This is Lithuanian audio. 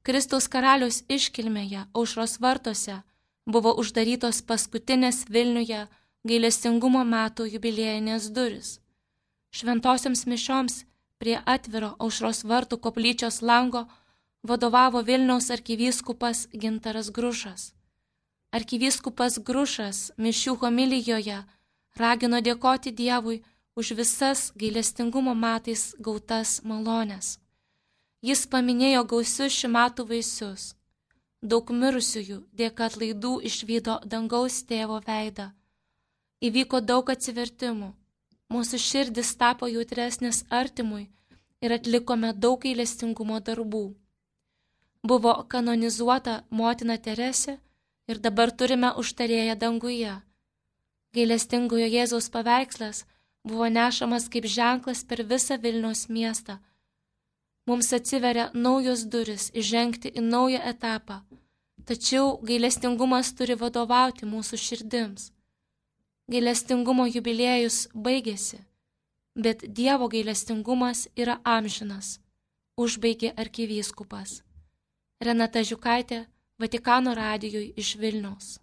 Kristaus karaliaus iškilmėje Aušros vartuose buvo uždarytos paskutinės Vilniuje gailestingumo metų jubiliejinės durys. Šventosioms mišioms prie atviro Aušros vartų koplyčios lango vadovavo Vilniaus arkivyskupas Gintaras Grušas. Arkivyskupas Grušas mišių homilijoje ragino dėkoti Dievui už visas gailestingumo metais gautas malones. Jis paminėjo gausius šių metų vaisius. Daug mirusiųjų dėka atlaidų išvydo dangaus tėvo veidą. Įvyko daug atsivertimų. Mūsų širdis tapo jautresnis artimui ir atlikome daug gailestingumo darbų. Buvo kanonizuota motina Teresė ir dabar turime užtarėją danguje. Gailestingojo Jėzaus paveikslas buvo nešamas kaip ženklas per visą Vilniaus miestą. Mums atsiveria naujos durys įžengti į naują etapą, tačiau gailestingumas turi vadovauti mūsų širdims. Gailestingumo jubiliejus baigėsi, bet Dievo gailestingumas yra amžinas, užbaigė arkivyskupas. Renata Žiukaitė, Vatikano radijui iš Vilniaus.